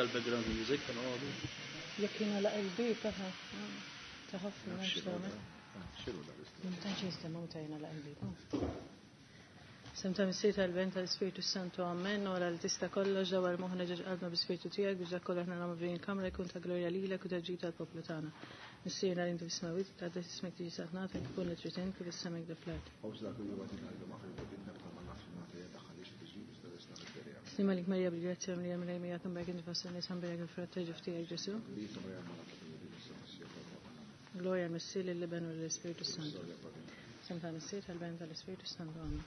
Dal-background music tal-għodu. Jekk jingħalaq il-bieb aha. Ta' ħafna m'hemmx tagħmel. Ma tantx jinstema' meta jingħalaq il-bieb. Sem ta' Missier tal-Ben tal-Ispirtu Santu Amen, ora li tista' kollox dawar moħħna ġeġ qalbna bi-Spirtu tiegħek biex dak kollu aħna nagħmlu f'din il-kamra jkun ta' glorja lilek u ta' ġid tal-poplu tagħna. Missierna li inti fis-smewwiet, tqaddes ismek tiġi saltnatek, ikun li trid int kif is-sema hekk fl-art. Slim għalik Marija bil-grazzja mlija Mulej miegħek imberek inti fost in-nisa mberek il-frott ta' ġuf tiegħek Ġesù. Glorja l-Missier lill-Iben u lill-Ispirtu Santu. Sem tal-Missier tal-Ben tal-Ispirtu Santu. Amen.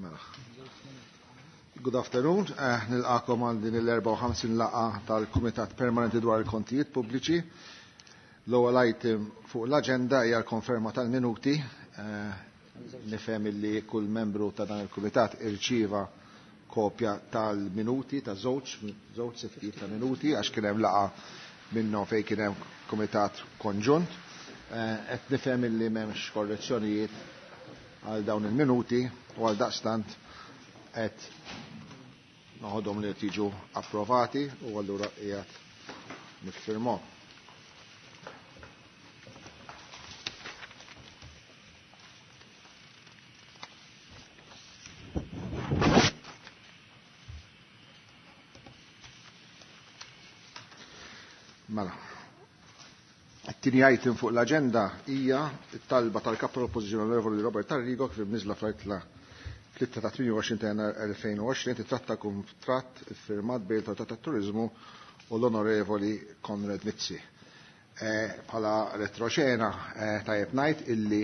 Mela. Good afternoon, eh, nilqakom għal din il-54 laqa tal-Kumitat Permanenti dwar il-Kontijiet Pubbliċi. L-ewwel item fuq l-aġenda hija l-konferma tal-minuti. Eh, nifhem illi kull membru ta' dan il-kumitat irċieva kopja tal-minuti ta' żewġ żewġ settijiet ta' minuti għax kien hemm laqgħa minnhom fejn kien hemm kumitat konġunt. Eh, qed nifhem illi m'hemmx korrezzjonijiet għal dawn il-minuti u għal daqstant qed noħodhom li qed jiġu approvati u allura qiegħed niffirmhom. Mela. It-tieni item fuq l-aġenda hija t-talba tal-Kap tal-Oppożizzjoni Onorevoli Robert Arrigo kif imniżla fl-ittra 3 ta' 28 ta' Jannar 2020 titratta kuntratt iffirmat bejn l-Awtorità tat-Turiżmu u l-Onorevoli Konrad Mizzi. Bħala retroxena tajjeb ngħid illi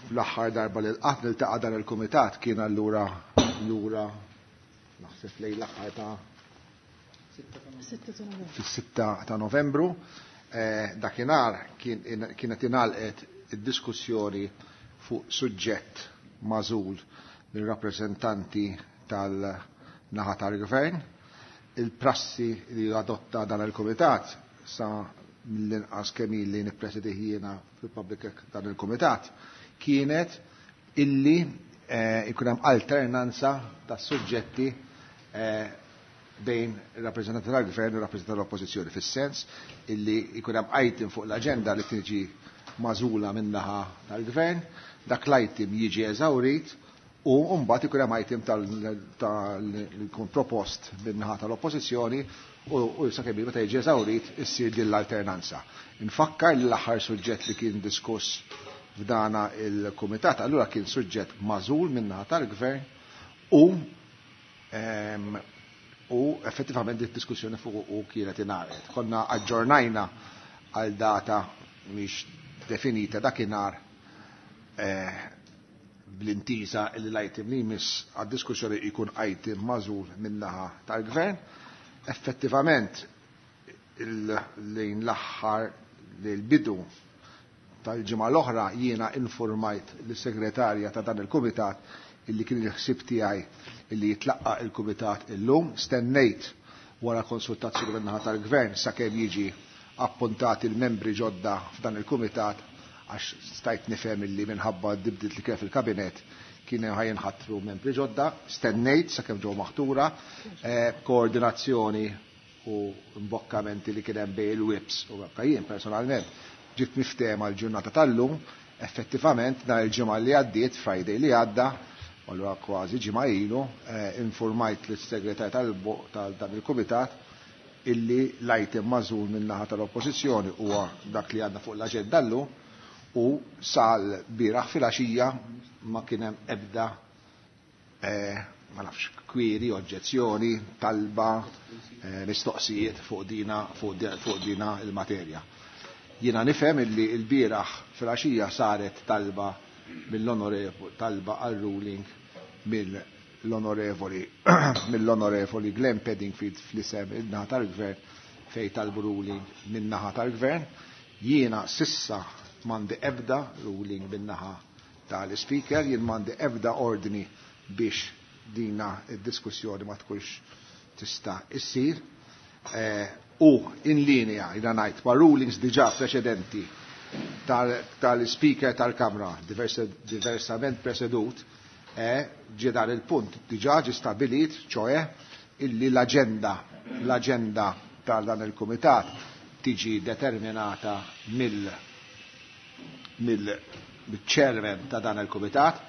fl-aħħar darba li lqatt niltaqa' dan il-kumitat kien allura lura naħseb lejn l-aħħar ta' fis-6 ta' Novembru. Dakinhar kienet ingħalqet id-diskussjoni fuq suġġett magħżul mir-rappreżentanti tal-naħa tal-Gvern. Il-prassi li adotta dan il-kumitat sa mill-inqas kemm ili nippresidih jiena fil-public dan il-kumitat kienet illi jkun hemm alternanza ta' suġġetti bejn ir-rappreżentanti tal-Gvern u r-rappreżentanti tal-Oppożizzjoni, fis-sens illi jkun hemm item fuq l-aġenda li tiġi magħżula min-naħa tal-Gvern, dak l-item jiġi eżawrit u mbagħad ikun hemm item li jkun propost min-naħa tal-Oppożizzjoni u sakemm meta jiġi eżawrit issir din l-alternanza. Infakkar li l-aħħar suġġett li kien diskuss f'dana il-kumitat allura kien suġġett magħżul min-naħa tal-Gvern u u effettivament id-diskussjoni fuq u kienet ingħalqet. Konna aġġornajna għal data mhix definita dakinhar eh, bl-intiża li l-item li jmiss għad-diskussjoni jkun item magħżul min-naħa tal-Gvern. Effettivament lejn l-aħħar l-bidu tal-ġimgħa l-oħra jiena informajt lis-segretarja ta' dan il-kumitat illi kien il-ħsieb tiegħi illi jitlaqqa il-kumitat illum, stennejt wara konsultazzjoni min-naħa tal-Gvern sakemm jiġi appuntati l-membri ġodda f'dan il-kumitat għax stajt nifhem illi minħabba d-dibdiet li kien fil-kabinet kien ħa jinħatru membri ġodda, stennejt sakemm ġew maħtura, koordinazzjoni u mbokkamenti li kien hemm bejn il-whips u anke jien personalment ġiet miftehma l-ġurnata tal-lum, effettivament nhar il-ġimgħa li għaddiet, Friday li għadda, allura kważi ġimgħa ilu, informajt lis-segretarju tal dan il-kumitat illi l-item magħżul min-naħa tal-Oppożizzjoni huwa dak li għandna fuq l-aġenda llum u sal-bieraħ filgħaxija ma kien hemm ebda ma nafx kwieri, oġġezzjoni, talba, mistoqsijiet fuq dina fuq dina il-materja. Jiena nifhem illi l-bieraħ filgħaxija saret talba mill-onorevoli talba għal ruling mill-onorevoli mill-onorevoli Glenn Peddingfield fl-isem in-naħa tal-Gvern fejn talbu ruling min-naħa tal-Gvern. Jiena sissa m'għandi ebda ruling min-naħa tal-Ispeaker, jien m'għandi ebda ordni biex dina id-diskussjoni ma tkunx tista' issir. U in linea, jiena ngħid, ma' rulings diġà preċedenti tal-Speaker tal-Kamra, diversament presedut, ġie dan il-punt diġà ġie stabilit, ċoe illi l-aġenda tal dan il-kumitat tiġi determinata mill-chairman ta' dan il-kumitat.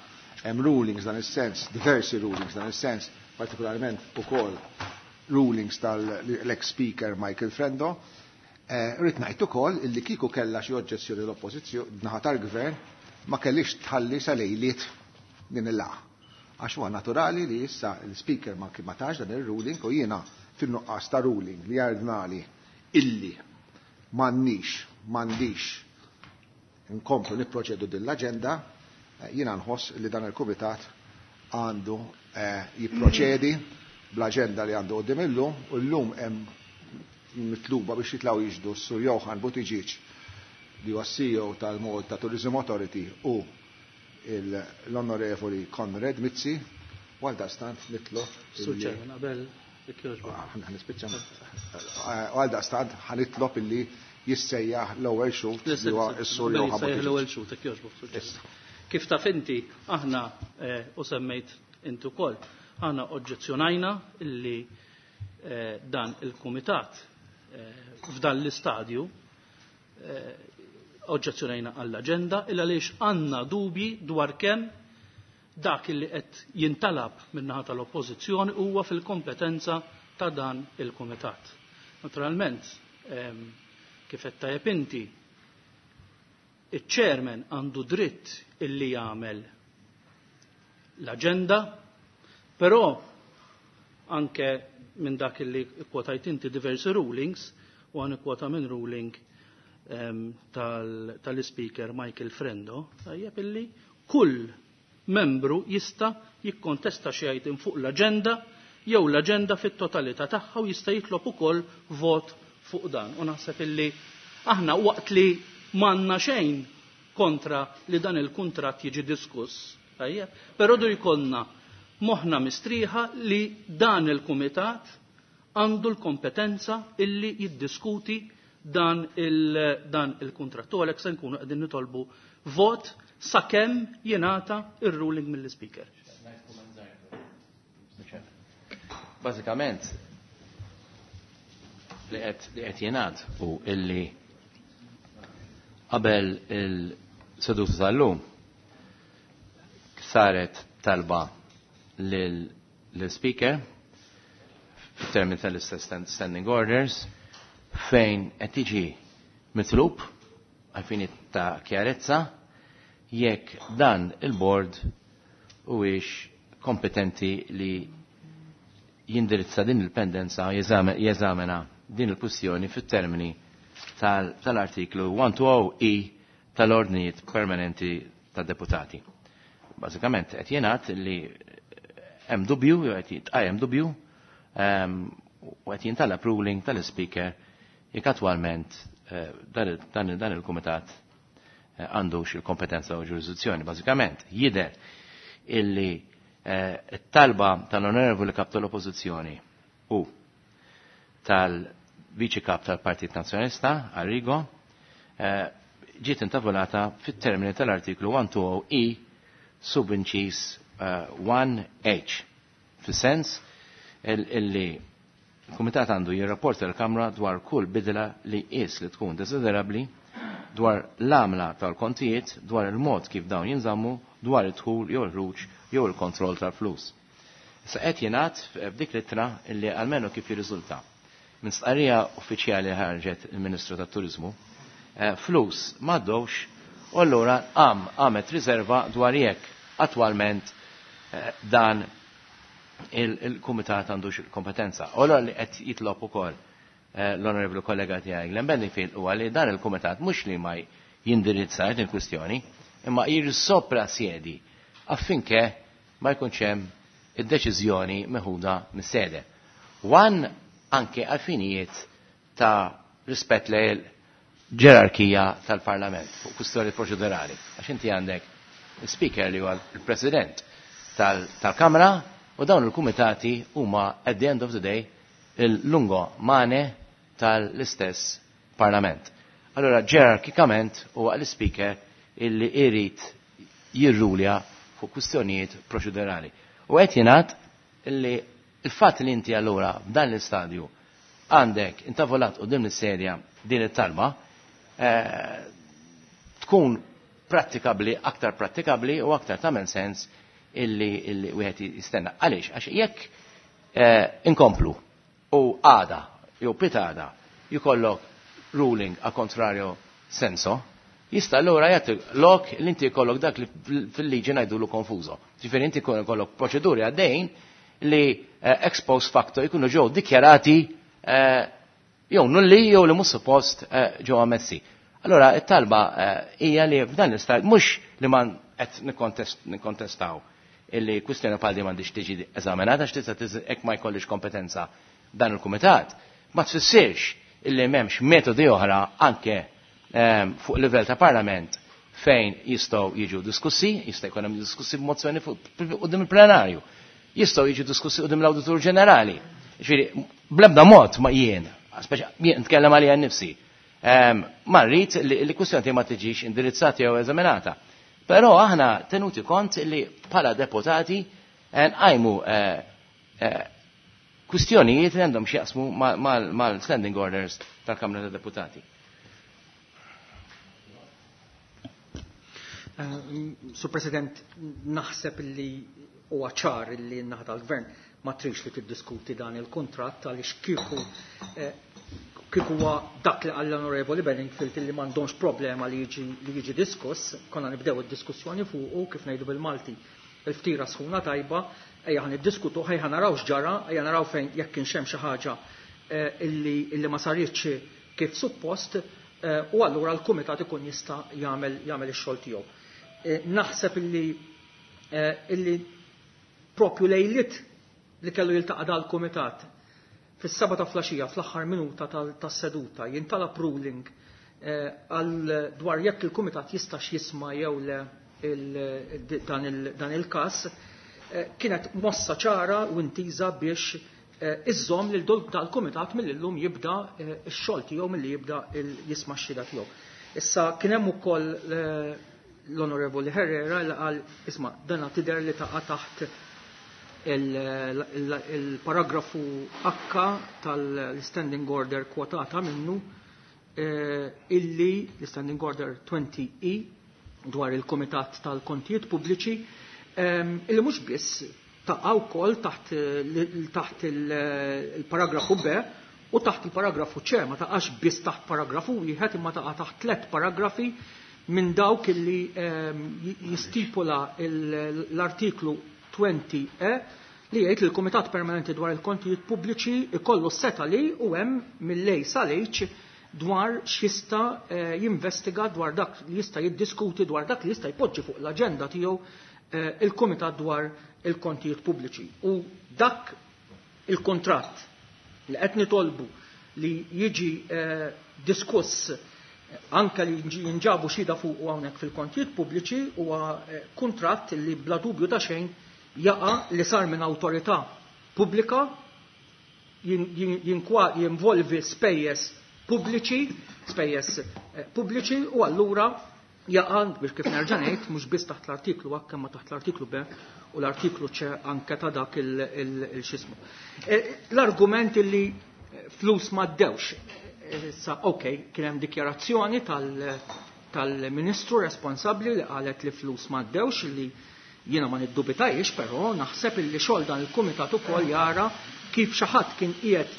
Hemm rulings dan is-sens, diversi rulings dan is-sens, partikolarment ukoll rulings tal-ex-speaker Michael Frendo. Rrid ngħid ukoll illi kieku kellha xi oġġezzjoni l-oppożizzjoni naħa tal-gvern ma kellix tħalli sa lejliet din il-laqgħa. Għax huwa naturali li issa l-speaker ma tax dan ir-ruling u jiena fin-nuqqas ta' ruling li jardnali illi m'għandix nkomplu nipproċedu din l-aġenda, jiena nħoss li dan il-kumitat għandu jipproċedi bl-aġenda li għandu qudiem illum, u llum hemm mitluba biex jitlgħu jiġdu s-Sur Johann Buttigieg li huwa CEO tal-Malta Tourism Authority u l-Onorevoli Konrad Mizzi, u għaldaqstant nitlob. Sur Chairman, qabel jekk Nispiċċa. U għaldaqstant ħa nitlob illi jissejjaħ l-ewwel xhud li huwa s-Sur Johann Buttigieg. L-ewwel xhud, jekk jogħġbok, Sur Chairman. Kif taf inti, aħna u semmejt inti wkoll, aħna oġġezzjonajna illi dan il-kumitat f'dan l-istadju oġġezzjonajna għall-aġenda illa għaliex għandna dubji dwar kemm dak li qed jintalab min-naħa tal-oppożizzjoni huwa fil-kompetenza ta' dan il-kumitat. Naturalment, kif qed tajjeb inti, iċ-chairman għandu dritt illi jagħmel l-aġenda, però anke minn dak illi kwotajt inti diversi rulings, u għan kwota minn ruling tal-speaker Michael Frendo, tajjeb illi kull membru jista' jikkontesta xi item fuq l-aġenda jew l-aġenda fit-totalità tagħha u jista' jitlob ukoll vot fuq dan. U naħseb illi aħna waqt li m'għandna xejn kontra li dan il-kuntratt jiġi diskuss, tajjeb, però du jkollna moħħna mistrieħa li dan il-kumitat għandu l-kompetenza illi jiddiskuti dan il-kuntratt. U għalhekk se nkunu qegħdin nitolbu vot sakemm jingħata ir-ruling mill-speaker. Bażikament li qed jingħad u illi qabel il-seduta tal-lum saret talba lill-speaker f'termini tal-istess standing orders fejn qed tiġi mitlub għalfini ta' kjarezza jekk dan il-board huwiex kompetenti li jindirizza din il-pendenza jeżamena din il-kwistjoni fit-termini tal-artiklu 120E tal-ordnijiet permanenti tad-deputati. Bażikament qed jingħad li hemm dubju jew qed jitqajjem dubju u qed jintalab ruling tal-speaker jekk attwalment dan il-kumitat għandux il-kompetenza u ġurisdizzjoni. Bażikament jidher illi t-talba tal-onorevoli kap tal-oppożizzjoni u tal-viċi kap tal-Partit Nazzjonalista, Arrigo, ġiet intavolata fit-termini tal-artiklu 120E subinċis 1H. Fis-sens illi il-Kumitat għandu jirrapporta l-Kamra dwar kull bidla li qis li tkun desiderabbli dwar l-għamla tal-kontijiet, dwar il-mod kif dawn jinżammu, dwar id-dħul jew il-ħruġ jew il-kontroll tal-flus. Issa qed jingħad f'dik l-ittra illi almenu kif jirriżulta. Minn stqarrija uffiċjali ħarġet il-Ministru tat-Turiżmu, flus m'għaddewx u allura qamet riserva dwar jekk attwalment dan il-kumitat għandux il-kompetenza. U allura li qed jitlob ukoll l-onorevoli kollega tiegħi Glenn Bedingfield huwa li dan il-kumitat mhux li ma jindirizza din il-kwistjoni, imma jirsopra sjedi affinché ma jkunx hemm id-deċiżjoni meħuda mis-sede. Wan anke għal ta' rispett lejn ġerarkija tal-Parlament fuq kwistjoni proċedurali. Għax inti għandek speaker li huwa l-President tal-Kamra u dawn il-kumitati huma at the end of the day il-lungo mane tal-istess Parlament. Allora ġerarkikament huwa l-speaker illi irid jirrulja fuq kwistjonijiet proċedurali. U qed jingħad illi Il-fatt li inti allura f'dan l-istadju għandek intavolat quddiem is-serja din it-talba tkun prattikabli, aktar prattikabli u aktar tagħmel sens illi wieħed jistenna. Għaliex? Għax jekk inkomplu u għada jew pitada jkollok ruling a contrario senso, jista' allura jagħti lok li inti jkollok dak li fil-liġi ngħidulu confuso. Ġifieri inti jkollok proċeduri għaddejn li ex post facto jkunu ġew dikjarati jew nulli jew li mhux suppost ġew ammessi. Allora it-talba hija li f'dan l-istat mhux li ma qed nikkontestaw illi kwistjoni bħal din m'għandix tiġi eżaminata għax tista' hekk ma jkollix kompetenza dan il-kumitat, ma tfissirx illi m'hemmx metodi oħra anke fuq livell ta' parlament fejn jistgħu jiġu diskussi, jista' jkun hemm diskussi b'mozzjoni quddiem il-plenarju, jistgħu jiġu diskussi quddiem l-Awditur Ġenerali. Ġifieri bl-ebda mod ma jien, speċa jien nitkellem għalija nnifsi, ma rrid li kwistjoni ma tiġix indirizzata jew eżaminata. Però aħna tenuti kont li bħala deputati nqajmu kwistjonijiet li għandhom x'jaqsmu mal-standing orders tal-Kamra ta' Deputati. Sur President, naħseb li huwa ċar li n-naħa tal-Gvern ma trix li tiddiskuti dan il-kuntratt għaliex kieku huwa dak li qal l-Onorevoli Bedingfield li m'għandhomx problema li jiġi diskuss, konna nibdew id-diskussjoni fuqu kif ngħidu bil-Malti il-ftira sħuna tajba, ejja ħa niddiskutu, ejja naraw x'ġara, ejja naraw fejn jekk kienx hemm xi ħaġa illi ma saritx kif suppost, u allura l-kumitat ikun jista' jagħmel ix-xogħol tiegħu. Naħseb illi propju lejlit li kellu jiltaqa' dal-kumitat fis-seba' ta' flaxija fl-aħħar minuta tas-seduta jintalab ruling għal dwar jekk il-kumitat jistax jisma' jew le dan il-każ, kienet mossa ċara u intiża biex iżżomm lil dal-kumitat mill-illum jibda x-xogħol tiegħu milli jibda jisma' x-xhieda tiegħu. Issa kien hemm ukoll l-Onorevoli Herrera li qal isma' dana tidher li taqa' taħt il-paragrafu H tal-Standing Order kwotata minnu illi l-Standing Order 20E dwar il-Kumitat tal-Kontijiet Pubbliċi illi mhux biss taqa' wkoll taħt il-paragrafu B u taħt il-paragrafu C, ma taqax biss taħt paragrafu wieħed imma taqa' taħt tliet paragrafi minn dawk illi jistipula l-artiklu 20E li jgħid li l-Kumitat Permanenti dwar il-Kontijiet Pubbliċi ikollu seta li u hemm mill-lej sal-H dwar x'jista' jinvestiga, dwar dak li jista' jiddiskuti, dwar dak li jista' jpoġġi fuq l-aġenda tiegħu il-Kumitat dwar il-Kontijiet Pubbliċi. U dak il-kontratt li qed nitolbu li jiġi diskuss anke li jinġabu xhieda fuq hawnhekk fil-kontijiet pubbliċi huwa kuntratt li bla dubju ta' xejn jaqa' li sar minn awtorità pubblika jinvolvi spejjeż pubbliċi, spejjeż pubbliċi u allura jaqa' biex kif nerġa' ngħid mhux biss taħt l-artiklu H imma taħt l-artiklu B u l-artiklu C anke ta' dak il-xismu. L-argument li flus ma ddewx, issa ok, kien hemm dikjarazzjoni tal-ministru responsabbli li qalet li flus ma ddewx, li jiena ma niddubitajx, però naħseb illi xogħol dan il-kumitat ukoll jara kif xi ħadd kien qiegħed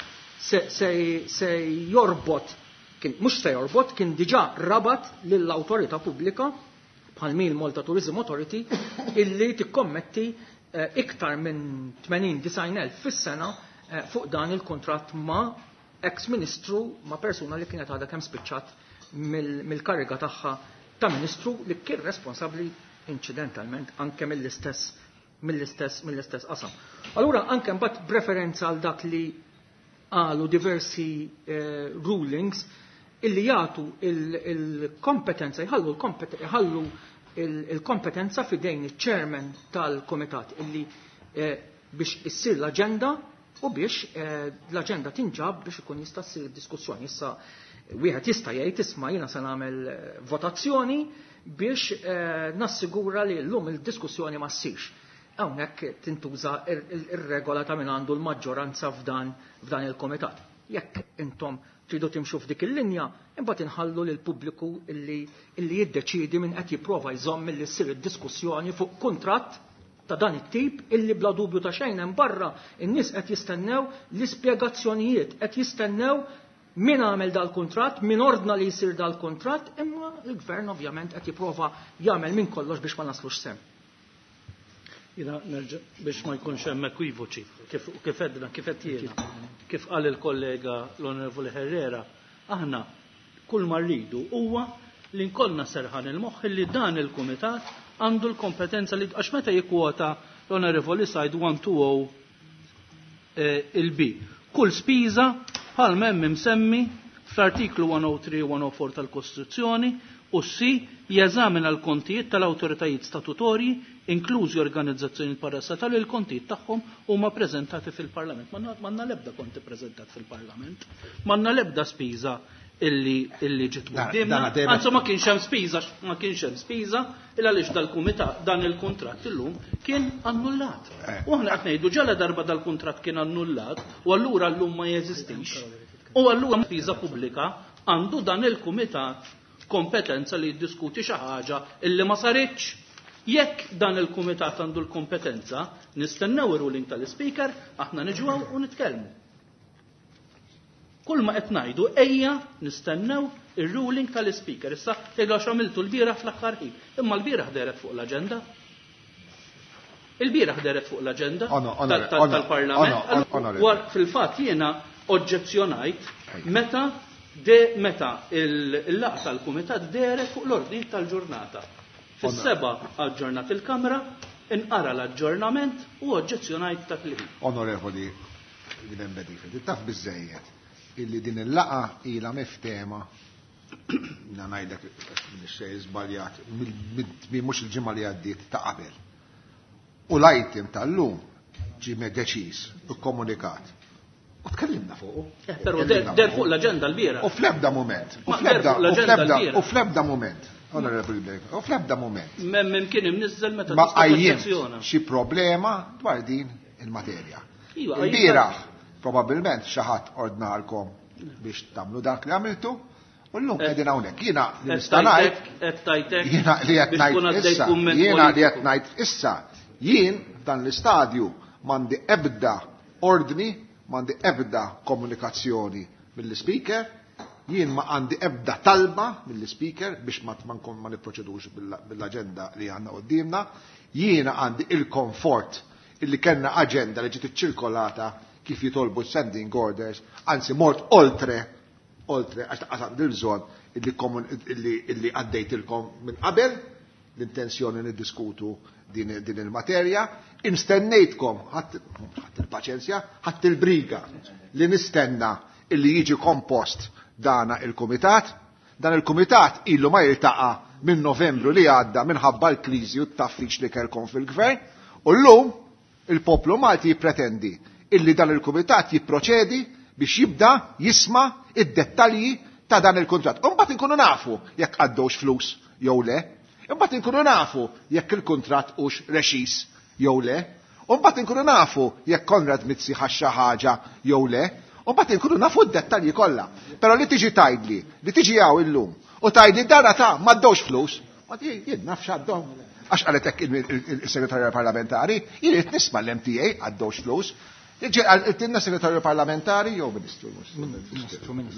se jorbot, kien mhux se jorbot, kien diġà rabat lill-awtorità pubblika bħal min Malta Tourism Authority illi tikkommetti iktar minn 80-90,000 fis-sena fuq dan il-kontratt ma' ex-ministru, ma' persuna li kienet għadha kemm spiċċat mill-kariga tagħha ta' ministru li kien responsabbli incidentalment anke mill-istess qasam. Allura anke mbagħad b'referenza għal dak li qalu diversi rulings illi jagħtu il-kompetenza, jħallu il-kompetenza fidejn iċ-chairman tal-komitat illi biex issir l-aġenda u biex l-aġenda tinġab biex ikun jista' ssir diskussjoni. Issa wieħed jista' jgħid isma' jiena se nagħmel votazzjoni biex nassigura li llum il-diskussjoni ma ssirx. Hawnhekk tintuża ir-regola ta' min għandu l-maġġoranza f'dan il-komitat. Jekk intom tridu timxu f'dik il-linja, imbagħad inħallu lil pubbliku illi jiddeċiedi min qed jipprova jżomm milli ssir id-diskussjoni fuq kuntratt ta' dan it-tip illi bla dubju ta' xejn hemm barra in-nies qed jistennew l-ispjegazzjonijiet, qed jistennew min għamel dal-kuntratt, min ordna li jsir dal-kuntratt, imma l-gvern ovvjament qed jipprova jagħmel minn kollox biex ma naslux semm. Jiena nerġa' biex ma jkunx hemm ekwivoċi, kif għedna, kif qed jiena, kif qal il-kollega l-Onorevoli Herrera, aħna kull ma rridu huwa li nkollna serħan il-moħħ li dan il-kumitat għandu l-kompetenza li għax meta jikkwota l-Onorevoli Said 120 il-B. Kull spiża bħal m'hemm imsemmi fl-artiklu 103 u 104 tal-Kostituzzjoni u C jeżamina l-kontijiet tal-awtoritajiet statutorji, inklużi organizzazzjoni parastatali, l-kontijiet tagħhom huma preżentati fil-Parlament. M'għandna l-ebda konti preżentat fil-Parlament, m'għandna l-ebda spiża illi ġiet quddiemna. Anzi ma kienx hemm spiża, ma kienx hemm spiża illa għaliex dal-kumitat dan il-kuntratt illum kien annullat. U aħna qed ngħidu ġala darba dal-kuntratt kien annullat u allura llum ma jeżistix. U allura spiża pubblika għandu dan il-kumitat kompetenza li jiddiskuti xi ħaġa illi ma saritx. Jekk dan il-kumitat għandu l-kompetenza, nistennew ir-ruling tal-ispeaker, aħna niġu hawn u nitkellmu. Kull ma qed ngħidu ejja nistennew ir-ruling tal-ispeaker. Issa tgħidu għax għamiltu l-bieraħ fl-aħħar ħin. Imma l-bieraħ dehret fuq l-aġenda. Il-bieraħ dehret fuq l-aġenda tal-Parlament. Fil-fatt jiena oġġezzjonajt meta meta il-laqgħa tal-kumitat dehret fuq l-ordni tal-ġurnata. Fis-7 aġġornat il-Kamra, inqara l-aġġornament u oġġezzjonajt dak li. Onorevoli Glenn Bedingfield, taf biżejjed illi din il-laqgħa ilha miftehma, na ngħidlek xejn żbaljat, mhux il-ġimgħa li għaddiet ta' qabel. U l-item tal-lum ġie deċiż u komunikat. U tkellimna fuqu. Però der fuq l-aġenda l-bieraħ. U fl-ebda moment. U fl-ebda moment. Onorevoli Blake, u fl-ebda moment. Mem kien imniżżel meta ma qajjimt xi problema dwar din il-materja. Il-bieraħ probabbilment xi ħadd ordnalkom biex tagħmlu dak li għamiltu, u llum qegħdin hawnhekk. Jiena li nista' ngħid, jiena li qed ngħid issa, jiena li qed ngħid issa, jien f'dan l-istadju m'għandi ebda ordni, m'għandi ebda komunikazzjoni mill-ispeaker, jien ma għandi ebda talba mill-ispeaker biex ma nkun ma nipproċedux bil-aġenda li għandna quddiemna, jiena għandi il-komfort illi kellna aġenda li ġiet iċċirkolata kif jitolbu standing orders, anzi mort oltre, oltre, għax taqas għandi l-bżonn illi għaddejtilkom minn qabel l-intenzjoni niddiskutu din il-materja, instennejtkom, ħadd il-paċenzja, ħadd il-briga li nistenna illi jiġi kompost dana il-kumitat. Dan il-kumitat illu ma jiltaqa' minn Novembru li għadda minħabba l-kriżi u t-taffiċ li kellkom fil-gvern, u llum il-poplu Malti jippretendi illi dan il-kumitat jipproċedi biex jibda jisma' id-dettalji ta' dan il-kuntratt. U mbagħad inkunu nafu jekk għaddewx flus jew le, imbagħad inkunu nafu jekk il-kuntratt hux reċis jew le, u mbagħad inkunu nafu jekk Konrad Mizzi ħax xi ħaġa jew le, u mbagħad inkunu nafu d-dettalji kollha. Però li tiġi tgħidli, li tiġi hawn illum u tgħidli dara ta' m'għaddewx flus, ma jien naf x'għaddew. Għax qalet hekk il-segretarju parlamentari, jien irid nisma' l-MTA għaddewx flus. Għaltinna segretarju parlamentari jew ministru,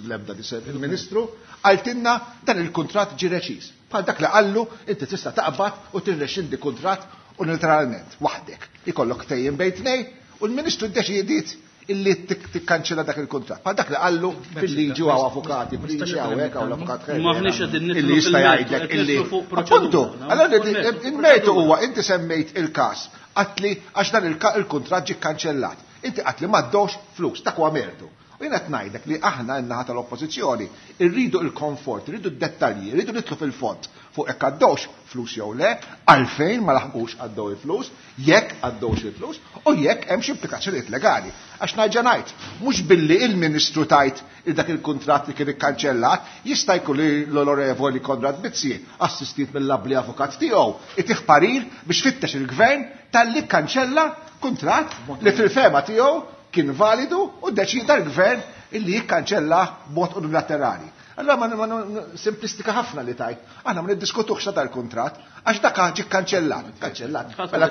l-ebda il-ministru, għaltinna dan il-kuntratt ġie reċiż. Bħal dak li qallu inti tista' taqbad u tirrexxindi kuntratt unilateralment waħdek. Ikollok tejjem bejn tnej u l-ministru ddeċidiet illi tikkanċella dak il-kuntratt. Bħal dak li qallu fil-liġi u avukati, fil-liġi hawnhekk hawn l-avukat illi jista' jgħidlek illi. Appuntu, allora il-mertu huwa inti semmejt il-każ għatli għax dan il-kuntratt ġie kkanċellat. Inti għatli m'għaddewx flus, dak huwa mertu. U jien qed ngħidlek li aħna n-naħa tal-Oppożizzjoni rridu l-komfort, irridu d-dettalji, irridu nidħlu fil-fond fuq jekk għaddewx flus jew le, għalfejn ma laħqux għaddew il-flus, jekk għaddewx il-flus u jekk hemmx implikazzjonijiet legali. Għax nerġa' ngħid, mhux billi il-Ministru tajt il dak il-kuntratt li kien ikkanċellat, jista' jkun li l-Onorevoli Konrad Mizzi, assistit mill-abbli avukat tiegħu, itih parir biex fittex il-Gvern talli kkanċella kuntratt li fil-fehma tiegħu kien validu u ddeċida l-Gvern illi jikkanċella b'mod unilaterali. Allora ma simplistika ħafna li tajt. Aħna ma niddiskutux ta' dal-kuntratt għax dak ġie kkanċellat, kkanċellat. Mela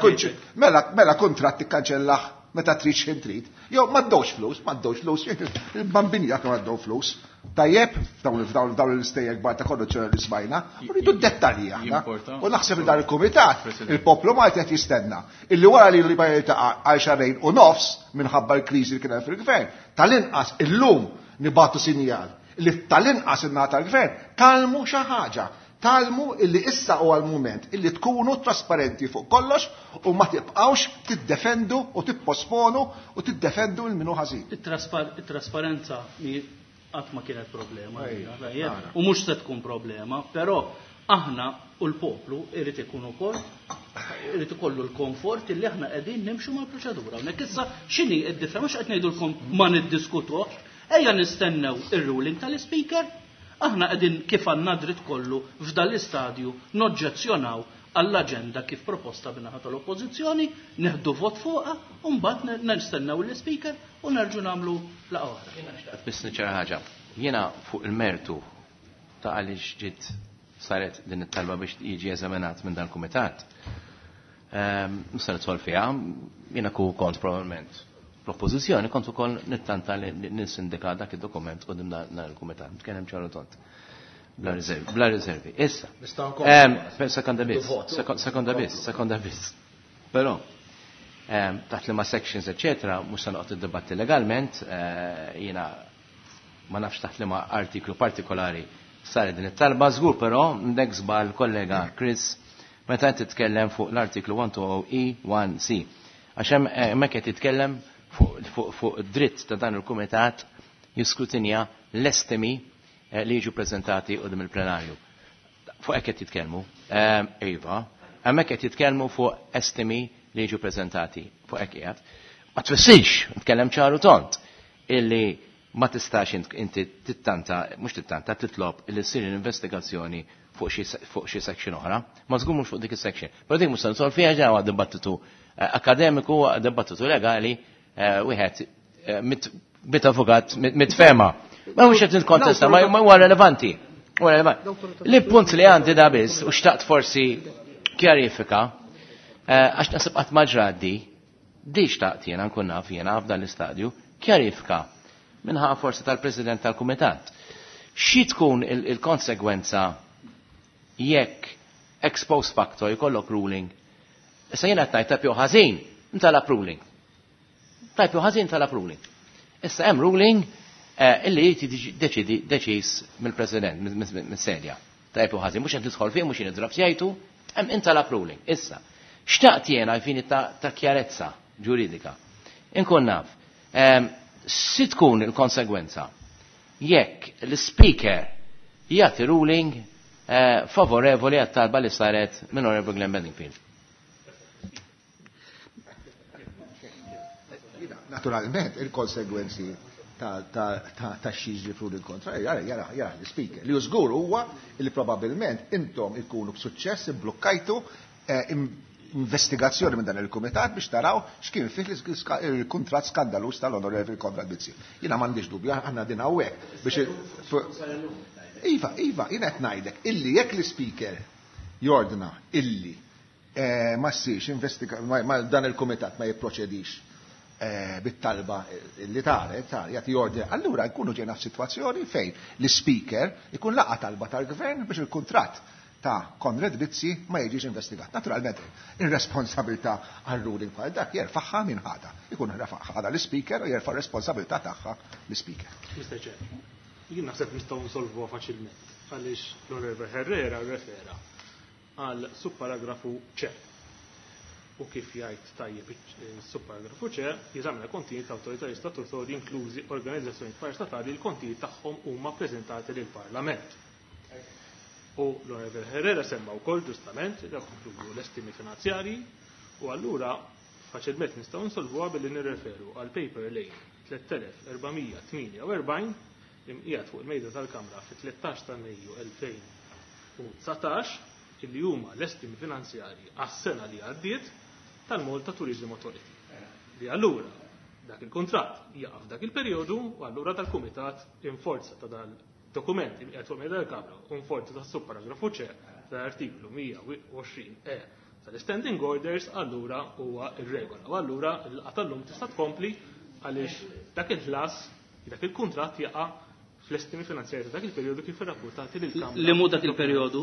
mela mela kuntratt ikkanċellah meta trid x'ħin trid. Jew ma ddewx flus, ma ddewx flus, il-bambini jekk ma ddew flus. Tajjeb, f'dawn dawn l-istejjer kbar ta' korruzzjoni li smajna, u rridu d-dettalji aħna. U naħseb li dan il-kumitat, il-poplu Malti qed jistenna illi wara li li jiltaqa' għal xahrejn u nofs minħabba l-kriżi li kien hemm fil-gvern, tal-inqas illum nibatu sinjal li tal-inqas in-naħa tal-gvern talmu xi ħaġa. Talmu illi issa huwa l-mument illi tkunu trasparenti fuq kollox u ma tibqgħux tiddefendu u tipposponu u tiddefendu l minu ħażin. It-trasparenza qatt ma kienet problema. U mhux se tkun problema, però aħna u l-poplu irid ikun ukoll irid ikollu l-komfort illi aħna qegħdin nimxu mal-proċedura. Hawnhekk issa x'inhi d-differenza mhux qed ngħidulkom ma niddiskutux, ejja nistennew ir-ruling tal-ispeaker, aħna qegħdin kif għandna dritt kollu f'dan l-istadju noġġezzjonaw għall-aġenda kif proposta bin-naħa tal-Oppożizzjoni, neħdu vot fuqha u mbagħad nistennew l-ispeaker u nerġu nagħmlu laqgħa oħra. Jiena xtaqt biss niċċara ħaġa. Jiena fuq il-mertu ta' għaliex ġiet saret din it-talba biex jiġi eżaminat minn dan kumitat. Mhux se nidħol fiha, jiena ku kont probabbilment l-oppożizzjoni kont ukoll nittanta li ninsindika dak id-dokument quddiem dan il-kumitat. Nitkellem ċaru tont. Bla riservi, bla riservi. Issa. Sekonda biss, sekonda biss, sekonda biss. Però taħt li ma sections, eccetera, mhux se noqgħod iddibatti legalment, jiena ma nafx taħt li ma artiklu partikolari saret din it-talba, żgur però ndek żball kollega Chris meta qed titkellem fuq l-artiklu 120E1C. Għax hemmhekk qed titkellem fuq dritt ta' dan il-kumitat jiskrutinja l-estimi li jiġu prezentati qudiem il-plenarju. Fuq hekk qed jitkellmu. Iva, hemmhekk qed jitkellmu fuq estimi li jiġu prezentati fuq hekk qiegħed. Ma tfissirx, nitkellem ċaru tont, illi ma tistax inti tittanta, mhux tittanta, titlob illi ssir investigazzjoni fuq xi section oħra, ma żgur mhux fuq dik is-section. Però dik mhux se nidħol fiha ġewwa dibattitu akademiku, dibattitu legali, wieħed mit avukat, mit fema. Ma mhux qed nikkontesta, ma huwa relevanti. Huwa relevanti. Li punt li għandi da biss u xtaqt forsi kjarifika, għax naħseb qatt ma ġraddi, di xtaqt jiena nkun naf jiena f'dan l-istadju, kjarifika minħa forsi tal-President tal-Kumitat. Xi tkun il-konsegwenza jekk ex post facto jkollok ruling? Issa jiena qed ngħid tajb jew ħażin, intalab ruling. Tajb jew ħażin talab ruling. Issa hemm ruling illi jrid deċidi deċiż mill-President, mis-sedja. Tajb jew ħażin, mhux qed nidħol fih, mhux nidrab jgħidu, hemm intalab ruling. Issa, xtaqt jiena għalfini ta' kjarezza ġuridika. Inkun naf, si tkun il-konsegwenza jekk l-speaker jagħti ruling favorevoli għat-talba li saret minn Honorable Glenn Bedingfield. Naturalment, il-konsegwenzi ta' xi fru il-kontra, jara, jara, jara l-speaker. Li żgur huwa li probabbilment intom ikunu b'suċċess imblukkajtu investigazzjoni minn dan il-kumitat biex taraw x'kien fih il-kuntratt skandalus tal-Onorevoli Konrad Mizzi. Jiena m'għandix dubju, aħna din hawnhekk biex Iva, Iva, jiena qed ngħidlek illi jekk l-speaker jordna illi ma ssirx investiga ma dan il-kumitat ma jipproċedix bit-talba li taret, jagħti ordni, allura nkunu ġejna f'sitwazzjoni fejn l-speaker ikun laqa talba tal-gvern biex il-kuntratt ta' Konrad Mizzi ma jiġix investigat. Naturalment, ir-responsabilità għal ruling bħal dak jerfaħħa minn ħada. Ikun ħada l-speaker u jerfa' responsabilità tagħha l-speaker. Mr. Chair, jien naħseb nistgħu nsolvuha faċilment għaliex l-Onorevole Herrera rrefera għal subparagrafu C. U kif jgħid tajjeb is-subparagrafu C, jeżamina kontijiet ta' awtoritajiet statutorji inklużi organizzazzjonijiet parastatali li l-kontijiet tagħhom huma ppreżentati lill-Parlament. U l-Onorevoli Herrera semma wkoll ġustament li dawk inkludu l-estimi finanzjarji u allura faċilment nistgħu nsolvuha billi nirreferu għal paper lane 3448 li mqiegħed fuq il-mejda tal-Kamra fit-13 ta' Mejju 2019 illi huma l-estimi finanzjarji għas-sena li għaddiet tal-Malta Tourism Authority. Li allura dak il-kuntratt jaqa' f'dak il-perjodu u allura dal-kumitat in forza ta' dal-dokument li qiegħed fuq il-mejda tal-Kamra u in forza tas-subparagrafu C tal-artiklu 120 E tal-Standing Orders allura huwa ir-regola. U allura l-laqgħa tal-lum tista' tkompli għaliex dak il-ħlas, dak il-kuntratt jaqa' fl-estimi finanzjarji ta' dak il-perjodu kif irrapportati lill-Kamra. Li mhu dak il-perjodu?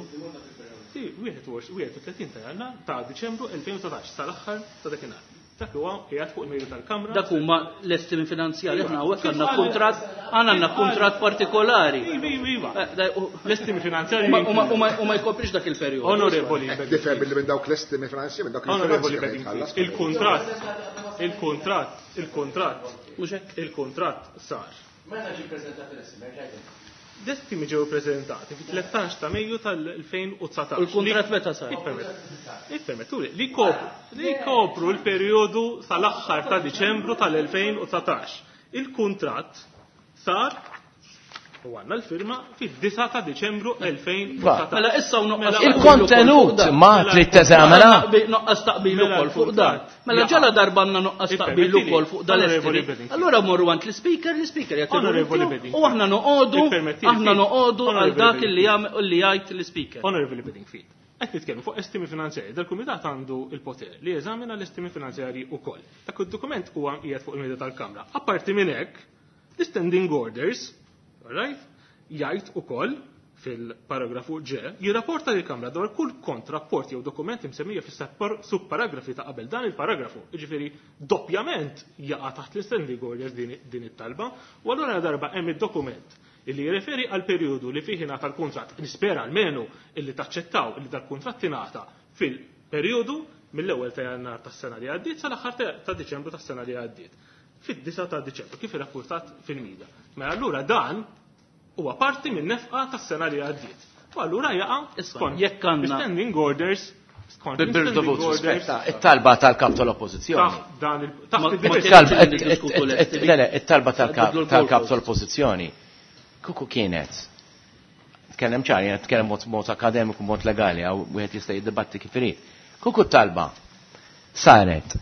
Sì, 31 ta' Jannar ta' Diċembru 2019 sal-aħħar ta' dakinhar. Dak huwa qiegħed fuq il-mejda tal-Kamra. Dak huma l-estimi finanzjarji, aħna hawnhekk għandna kuntratt, aħna għandna kuntratt partikolari. Iva, iva, iva. L-estimi finanzjarji U ma jkoprix dak il-perjodu. Onorevoli Tifhem billi minn dawk l-estimi finanzjarji, minn dawk Onorevoli il-finanzi Bedingfield, il-kuntratt, il-kuntratt, il-kuntratt, Mhux hekk? il-kuntratt sar. Meta ġie ppreżentat l-estimi, L-estimi ġew ippreżentati fit-13 ta' Mejju tal-2019. U l-kuntratt meta sar? Ippermettuli, li kopru, li kopru l-perjodu sal-aħħar ta' Diċembru tal-2019. Il-kuntratt sar u għandna l-firma fid-9 ta' Diċembru 2019. Mela issa u nuqqas Il-kontenut ma trid teżamina. Nuqqas taqbil Mela ukoll fuq dan. Mela l-kuntratt ġala darba għandna nuqqas taqbil Ippermettili, ukoll fuq dan Onorevoli l-estimi. Bedingfield. Allura morru għand l-speaker, l-speaker jagħti Onorevoli l-tiegħu, Bedingfield. u aħna noqogħdu, Ippermettili, aħna noqogħdu għal Onorevoli dak li Bedingfield. jagħmel li jgħid l-speaker. Onorevoli Bedingfield, qed nitkellmu fuq estimi finanzjarji. Dal-kumitat għandu il-poter li jeżamina l-estimi finanzjarji wkoll. Dak id-dokument huwa qiegħed fuq il-mejda tal-Kamra. Apparti minn hekk, l-standing orders, all right, jgħid ukoll fil-paragrafu G, jirrapporta lill-Kamra dwar kull kontrapport jew dokument imsemmija fis-subparagrafi ta' qabel dan il-paragrafu. Jiġifieri doppjament jaqa' taħt l-standing orders din it-talba, u allura darba hemm id-dokument illi jirreferi għal perjodu li fih ingħata l-kuntratt. Nispera almenu illi taċċettaw illi dal-kuntratt ingħata fil-perjodu mill-ewwel ta' Jannar tas-sena li għaddiet sal-aħħar ta' Diċembru tas-sena li għaddiet. Fid-9 ta' Diċembru kif irrapportat fil-media. Mela allura dan huwa parti minn nefqa tas-sena li għaddiet. U allura jaqa' Issa, skont jekk għandna- standing orders skont standing Bil-dovut orders it-talba tal-kap tal-oppożizzjoni. taħt dan il taħt Ma- id-diversi ma- It-talba- Li niddiskutu l-estimi. Le, le, it-talba Bidlu l-goalpost. tal-kap tal-oppożizzjoni. Kuku kienet. Tkellem ċar, jena tkellem mod akademiku, mod legali, għaw wieħed jista' jiddibatti kif irid. Kuku talba saret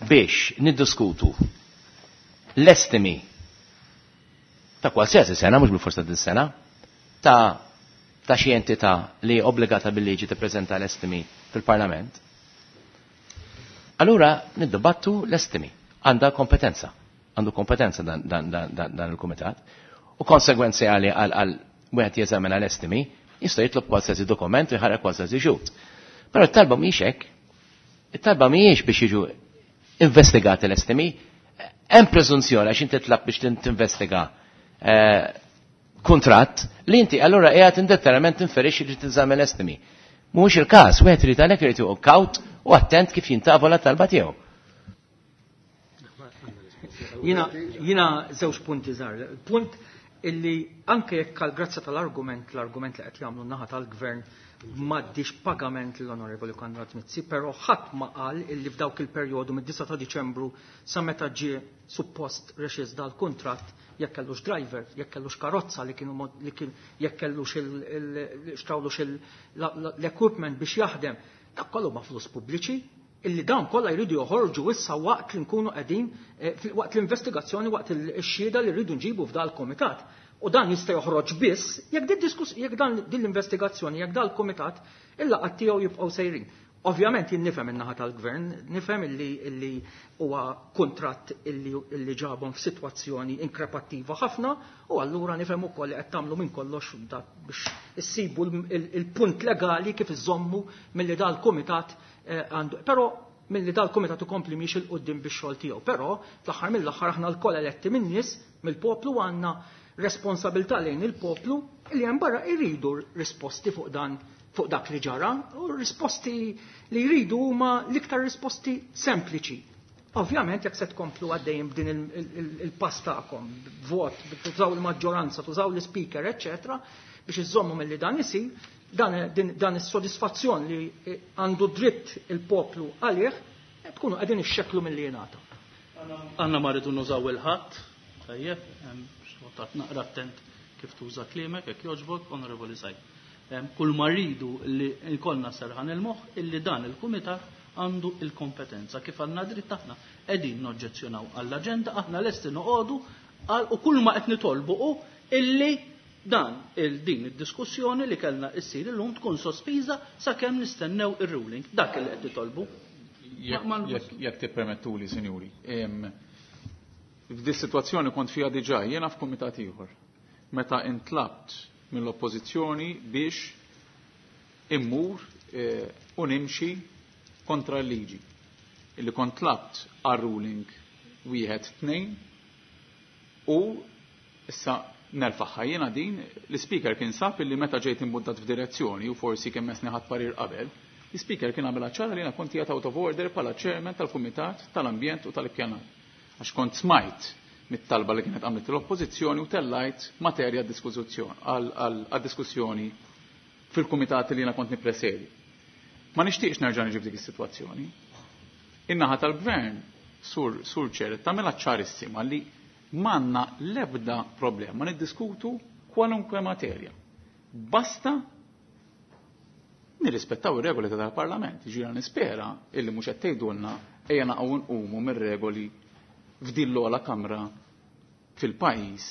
biex niddiskutu l-estimi ta' qualsiasi sena, mhux bil-forsa din sena, ta' xi entità li obbligata bil-liġi tippreżenta l-estimi fil-Parlament. Allura niddibattu l-estimi. Għandha kompetenza. Għandu kompetenza dan il-kumitat. U konsegwenzjali għal wieħed jeżamina l-estimi, jista' jitlob qualsiasi dokument u jħarrek qualsiasi xhud. Però t-talba mhijiex hekk. It-talba mhijiex biex jiġu investigati l-estimi. Hemm preżunzjoni għax inti tlab biex tinvestiga kuntratt li inti allura qiegħed indetterament tinferixxi li tinżamm l-estimi. Mhuwiex il-każ, wieħed irid għalhekk irid joqgħod kawt u attent kif jintavola t-talba tiegħu. Jina żewġ punti żgħar. Punt illi anke jekk għal grazza tal-argument, l-argument li qed jagħmlu n-naħa tal-gvern m'għaddix pagament lill-Onorevoli Konrad Mizzi, però ħadd ma qal illi f'dawk il-perjodu mid-9 ta' Diċembru sa meta ġie suppost rexiż dal-kuntratt jekk kellux driver, jekk kellux karozza li kienu mod, li kien, jekk kellux xtrawlux l-equipment biex jaħdem, dak kollu ma' flus pubbliċi, illi dawn kollha jridu joħorġu issa waqt li nkunu qegħdin waqt l-investigazzjoni, waqt ix-xhieda li rridu nġibu f'dal komitat. U dan jista' joħroġ biss jekk din diskus-, jekk dan din l-investigazzjoni, jekk dal komitat il-laqgħat tiegħu jibqgħu sejrin. Ovvjament jien nifhem in-naħa tal-gvern, nifhem illi huwa kuntratt illi ġabhom f'sitwazzjoni inkrepattiva ħafna, u allura nifhem ukoll li qed tagħmlu minn kollox da biex issibu il-punt legali kif iżommu milli dal-kumitat għandu. Però milli dal-kumitat ikompli miex il quddiem bix-xogħol tiegħu. Però fl-aħħar mill-aħħar aħna lkoll eletti min-nies, mill-poplu, għandna responsabilità lejn il-poplu li hemm barra jridu risposti fuq dan fuq dak li ġara u risposti li jridu huma l-iktar risposti sempliċi. Ovvjament jekk se tkomplu għaddejjem b'din il-pass tagħkom, vot, tużaw il-maġġoranza, tużaw l-speaker, eċċetera, biex iżommu milli dan isir, dan is-sodisfazzjon li għandu dritt il-poplu għalih, tkunu qegħdin ixxekklu milli jingħata. Għanna ma rridu nużaw il-ħadd, tajjeb, xortat naqra attent kif tuża kliemek, jekk jogħġbok, Onorevoli Said. Kull ma rridu li jkollna serħan il-moħħ illi dan il-kumitat għandu il-kompetenza kif għandna dritt aħna qegħdin noġġezzjonaw għall-aġenda, aħna lesti noqogħdu u kull ma qed nitolbu hu illi dan il-din id-diskussjoni li kellna issir illum tkun sospiża sakemm nistennew ir-ruling. Dak li qed nitolbu. Jekk tippermettuli, sinjuri. F'di situazzjoni kont fiha diġà jiena f'kumitat ieħor. Meta intlabt mill-oppożizzjoni biex immur u nimxi kontra l-liġi. Illi kont tlabt għal-ruling wieħed tnejn u issa nerfaħħa jiena din l-speaker kien sab illi meta ġejt imbuddat f'direzzjoni u forsi kemm mesni ħadd parir qabel, l-speaker kien għamilha ċara li jiena kont qiegħed out of order bħala chairman tal-Kumitat tal-Ambjent u tal-Ippjanar. Għax kont smajt mit-talba li kienet għamlet l-oppożizzjoni u tellajt materja għad-diskussjoni fil-kumitat li jiena kont nippresedi. Ma nixtieqx nerġa' niġi f'dik is-sitwazzjoni. In-naħa tal-gvern sur ċer tagħmilha ċarissima li m'għandna l-ebda problema niddiskutu kwalunkwe materja. Basta nirrispettaw ir-regoli tal-Parlament. Ġira nispera illi mhux qed tgħidulna ejja naqgħu nqumu mir-regoli f'din l-ogħla kamra fil-pajjiż.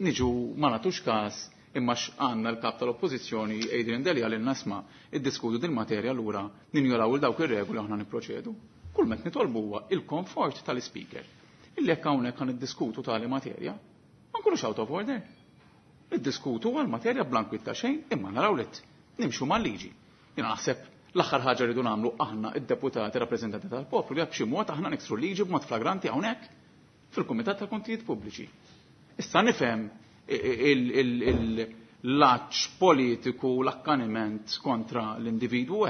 Niġu ma nagħtux każ imma x'għandna l-kap tal-Oppożizzjoni Adrian Delia lil nasma iddiskutu din materja lura ninjoraw il dawk ir-regoli aħna nipproċedu. Kull met nitolbu huwa il-komfort tal-speaker. Illi jekk hawnhekk ħan iddiskutu tali materja, ma nkunux out of order. Niddiskutu għal materja blankwit ta' xejn imma naraw li nimxu mal-liġi. Jiena naħseb l-aħħar ħaġa rridu nagħmlu aħna id-deputati rappreżentanti tal-poplu li b'xi mod aħna niksru liġi b'mod flagranti hawnhekk fil-Kumitat tal-Kontijiet Pubbliċi. Issa nifhem l-aċ politiku, l-akkaniment kontra l-individwu,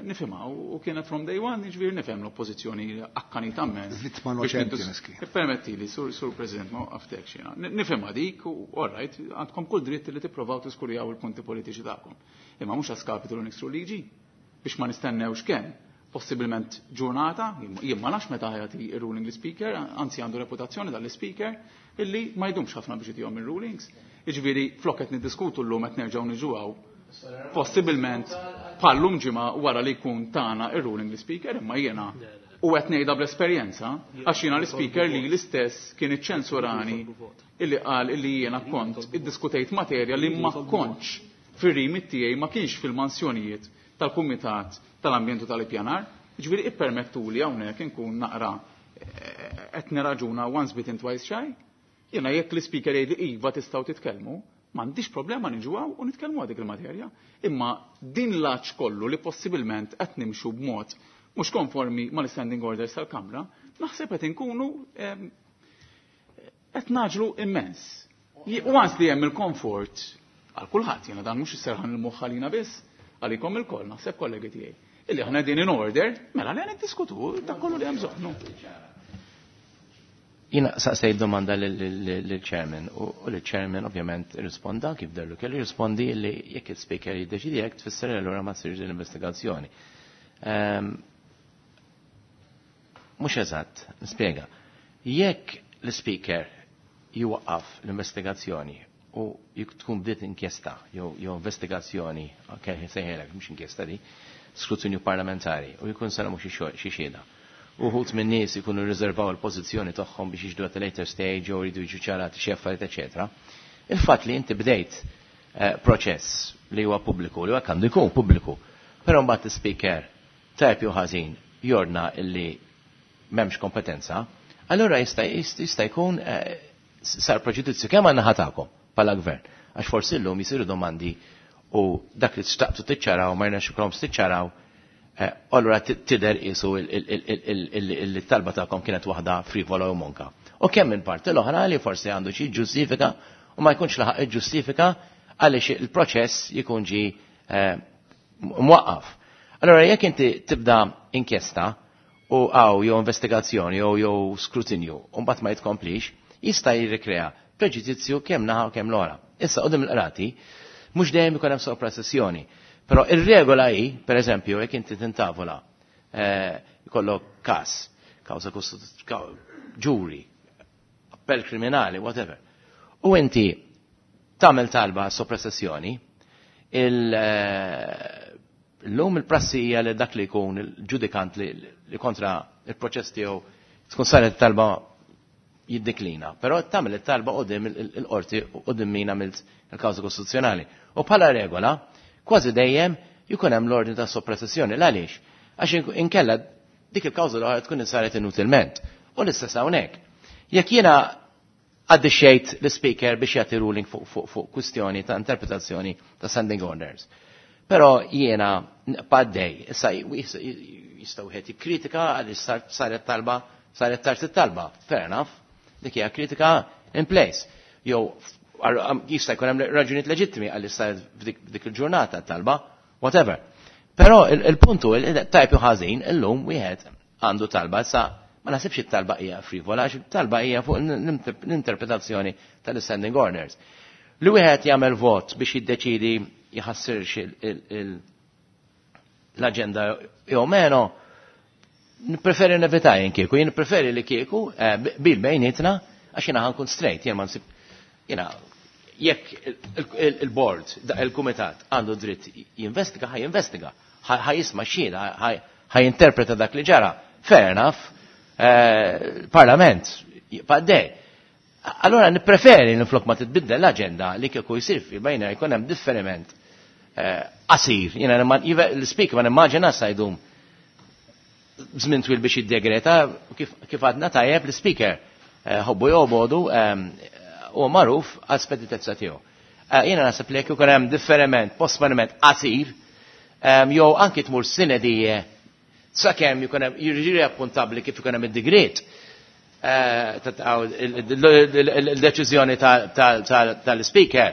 nifhimha u kienet from day one, jiġifieri nifhem l-oppożizzjoni akkanita immens. Vittma noċenti miskin. Permettili, sur President, ma waqaftek xina. Nifhimha dik, u all right, għandkom kull dritt li tipprovaw tiskurjaw il-punti politiċi tagħkom. Imma mhux għaskapitu li niksru liġi biex ma nistennewx kemm. Possibilment ġurnata, jien ma nafx meta ħajati ir-ruling l-speaker, anzi għandu reputazzjoni dal-speaker, illi ma jdumx ħafna biex itihom ir-rulings. Jiġifieri flok qed niddiskutu llum qed nerġgħu niġu possibilment bħallum ġimgħa wara li jkun tagħna ir-ruling l-speaker, imma jiena u qed ngħidha bl-esperjenza, għax jiena l-speaker li l-istess kien iċċensurani illi qal illi jiena kont iddiskutejt materja li ma kontx fir-rimit tiegħi ma kienx fil-mansjonijiet tal-Kumitat tal-Ambjent u tal-Ippjanar. Jiġifieri ippermettuli hawnhekk inkun naqra qed nirraġuna once bitten twice shy. Jiena jekk l-speaker jgħid iva tistgħu titkellmu, m'għandix problema niġu hawn u nitkellmu għal dik il-materja. Imma din l-aċ kollu li possibilment qed nimxu b'mod mhux konformi mal-standing orders tal-Kamra, naħseb qed inkunu qed naġlu immens. U għans li hemm il-komfort għal kulħadd, jiena dan mhux isserħan il-moħħ għalina biss, għalikom ilkoll, naħseb kollegi tiegħi. Illi aħna din in order, mela li niddiskutu dak kollu li hemm bżonn. Jiena saqsejt domanda lill-chairman u l-chairman ovvjament risponda kif dellu kellu jirrispondi li jekk il-speaker jiddeċidi jekk tfisser allura ma ssirx l-investigazzjoni. Mhux eżatt, nispjega. Jekk l-speaker jwaqqaf l-investigazzjoni u jekk tkun bdiet inkjesta jew investigazzjoni, ok, sejħelek mhux inkjesta di, skrutinju parlamentari u jkun sara mhux xi xhieda. Uħut minn nies ikunu riservaw il-pożizzjoni tagħhom biex jiġdu at a later stage jew jridu jiġu ċarati xi affarijiet eċetera. Il-fatt li inti bdejt proċess li huwa pubbliku, li huwa għandu jkun pubbliku, però mbagħad is-speaker tajb jew ħażin jordna illi m'hemmx kompetenza, allura jista' jkun sar preġudizzju kemm għandna ħatakom bħala gvern. Għax forsi llum jisiru domandi u dak li xtaqtu tiċċaraw ma rnexx ikolhom tiċċaraw, allura tidher qisu il-talba tagħkom kienet waħda frivola u monka. U kemm minn parti l-oħra li forsi għandu xi ġustifika u ma jkunx laħaq iġġustifika għaliex il-proċess jkun ġi mwaqqaf. Allora jekk inti tibda inkjesta u għaw jew investigazzjoni jew skrutinju u mbagħad ma jitkomplix, jista' jirrikrea preġudizzju kemm naħa u kemm l-ora. Issa qudiem il-qrati mhux dejjem ikun hemm soprasessjoni. Però ir-regola hi, pereżempju, jekk inti tintavola jkollok każ, kawża ġuri, appell kriminali, whatever. U inti tagħmel talba soprasessjoni, l-lum il-prassi hija li dak li jkun il-ġudikant li kontra il-proċess tiegħu tkun saret talba jiddeklina. Però tagħmel it-talba qudiem il-qorti qudiem min għamilt il-kawża kostituzzjonali. U bħala regola, kważi dejjem jkun hemm l-ordni ta' soppressjoni. Għaliex? Għax inkella dik il-kawża l-oħra tkun saret inutilment. U l-istess hawnhekk. Jekk jiena għaddixxejt l-speaker biex jagħti ruling fuq kwistjoni ta' interpretazzjoni ta' standing orders. Però jiena paddej, issa jista' wieħed jikkritika għaliex saret talba, saret tard it-talba. Fair enough, dik hija kritika in place. Jew jista' jkun hemm raġunijiet leġittimi għaliex saret f'dik il-ġurnata t-talba, whatever. Però il-puntu tajb jew ħażin illum wieħed għandu talba issa ma naħsibx it-talba hija frivola għax it-talba hija fuq l-interpretazzjoni tal-standing orders. Li wieħed jagħmel vot biex jiddeċidi jħassirx l-aġenda jew meno, nippreferi nevita jien kieku, jien nippreferi li kieku bil bejnietna għax jiena ħankun straight, jien ma nsib jiena jekk il-board, il-kumitat għandu dritt jinvestiga, ħaj jinvestiga, ħaj jisma' xhieda, ħaj jinterpreta dak li ġara. Fair enough, parlament, jibqa' Allora nippreferi niflok ma titbiddel l-aġenda li kieku jsir fi bejna jkun hemm differiment qasir. Jiena l-speaker ma nimmaġina sa jdum żmien twil biex jiddegreta kif għadna tajjeb l-speaker ħobbu jobodu u magħruf għal speditezza tiegħu. Jiena naħseb li jekk ikun hemm differiment, posponiment qasir, jew anki tmur sine die sakemm jkun hemm jiġri appuntabbli kif ikun hemm id-digriet il-deċiżjoni tal-speaker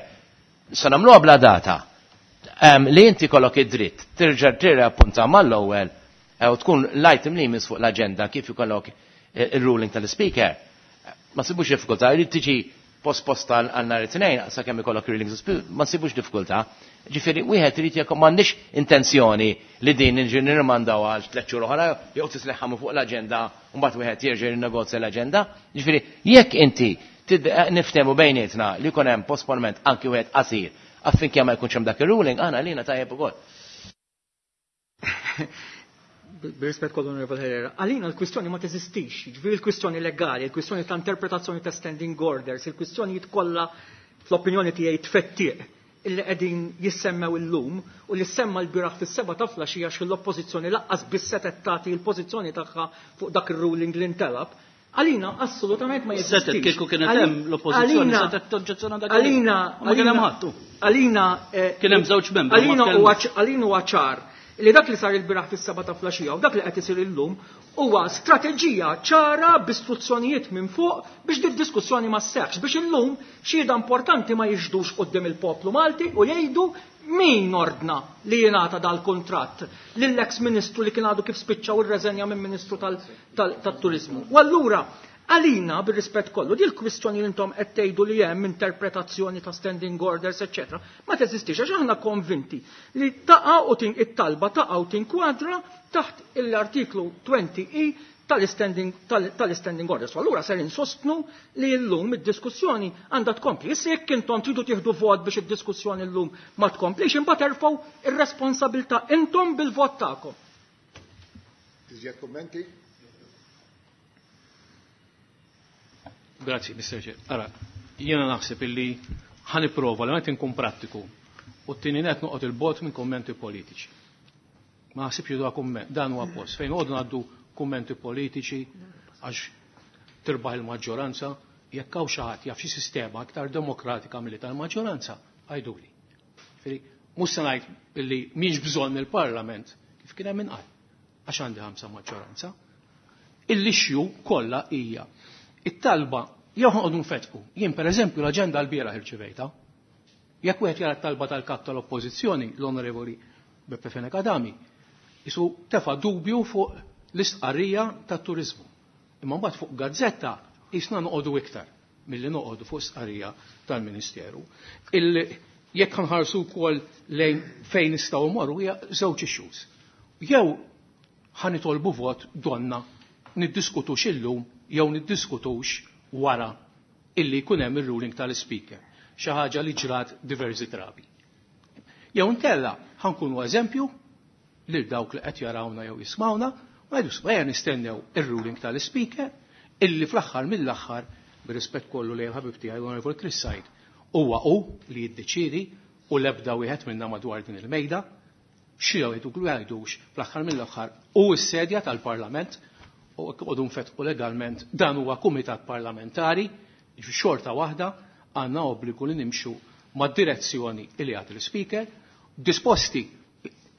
se nagħmluha bla data. Li inti kollok id-dritt terġa' tirrappunta mal-ewwel u tkun l-item li jmiss fuq l-aġenda kif ikollok il-ruling tal-speaker. Ma sibux diffikultà, jrid tiġi posposta għal nhar it-tnejn sakemm ikollok ruling ma nsibux diffikultà. Ġifieri wieħed irid jekk m'għandix intenzjoni li din niġi nirmandaw għal tliet xhur oħra jew tisleħħamu fuq l-aġenda u mbagħad wieħed jerġa' jinnegozja l-aġenda. Ġifieri jekk inti niftehmu bejnietna li jkun hemm posponiment anki wieħed qasir affinché ma jkunx hemm dak ir-ruling, aħna lina tajjeb ukoll. Bir-rispett kollu Onorevole Herrera, għalina l-kwistjoni ma teżistix, ġifieri l-kwistjoni legali, l-kwistjoni ta' interpretazzjoni ta' standing orders, il-kwistjonijiet kollha fl-opinjoni tiegħi tfettiq illi qegħdin jissemmew illum u li semma l-bieraħ fis-7 ta' flaxija għax l-oppożizzjoni laqqas biss setgħet tagħti l-pożizzjoni tagħha fuq dak ir-ruling li ntelab. Għalina assolutament ma jeżistix. Setgħet kieku kienet hemm l-oppożizzjoni setgħet toġġezzjona dak. Għalina ma kien hemm ħadd. Għalina kien hemm żewġ membri. Għalina huwa ċar li dak li sar il-bieraħ fis-7 ta' flaxija u dak li qed isir illum huwa strateġija ċara b'istruzzjonijiet minn fuq biex di diskussjoni ma sseħħx, biex illum xhieda importanti ma jixdux quddiem il-poplu Malti u jgħidu min ordna li jingħata dal-kuntratt lill-eks ministru li kien għadu kif spiċċa u rreżenja minn ministru tat-turiżmu. U allura għalina bir-rispett kollu di l-kwistjoni li intom qed tgħidu li hemm interpretazzjoni ta' standing orders, eċċetera, ma teżistix għax aħna konvinti li taqa' u it-talba taqa' u tinkwadra taħt l-artiklu 20E tal-standing orders. Allura ser insostnu li llum id-diskussjoni għandha tkompli. Issa jekk intom tridu tieħdu vot biex id-diskussjoni llum ma tkomplix, imbagħad erfgħu ir-responsabilità intom bil-vot tagħkom. Iżjed kummenti? Grazzi, Mr. Chair. Ara, jiena naħseb illi ħaniprova li ma nkun prattiku u t-tieni net noqgħod il-bot minn kummenti politiċi. Ma naħsibx li kumment, dan huwa post fejn noqogħdu ngħaddu kummenti politiċi għax tirbaħ il-maġġoranza, jekk hawn xi ħadd jaf xi sistema aktar demokratika milli tal-maġġoranza, għajduli. Mhux se ngħid illi mhix bżonn il-Parlament kif kien hemm inqal għax għandi 5 maġġoranza. Il-issue kollha hija it-talba Jew ħanqodu nfetqu. Jien pereżempju l-aġenda l-bieraħ irċivejta. Jekk wieħed jara t-talba tal-kap tal-Oppożizzjoni, l-Onorevoli Beppe Fenech Adami, isu tefa' dubju fuq l-istqarrija tat-turiżmu. Imma mbagħad fuq gazzetta jisna noqogħdu iktar milli noqogħdu fuq stqarrija tal-Ministeru. Jekk nħarsu wkoll lejn fejn nistgħu mmorru hija żewġ issues. Jew ħa nitolbu vot donna niddiskutux illum jew niddiskutux wara illi jkun hemm ir-ruling tal-Speaker, xi ħaġa li ġrat diversi drabi. Jew inkella ħa nkunu eżempju lil dawk li qed jarawna jew jismawna u ngħidu ejja nistennew ir-ruling tal-Speaker illi fl-aħħar mill-aħħar, bir-rispett kollu lejn ħabib tiegħi l-Onorevoli Chris Said, huwa hu li jiddeċiedi u l-ebda wieħed minna madwar din il-mejda xi jgħidu jgħidux fl-aħħar mill-aħħar u s-sedja tal-Parlament u qogħdu nfetqu legalment dan huwa kumitat parlamentari, xorta waħda għandna obbligu li nimxu mad-direzzjoni li jagħti l-Speaker, disposti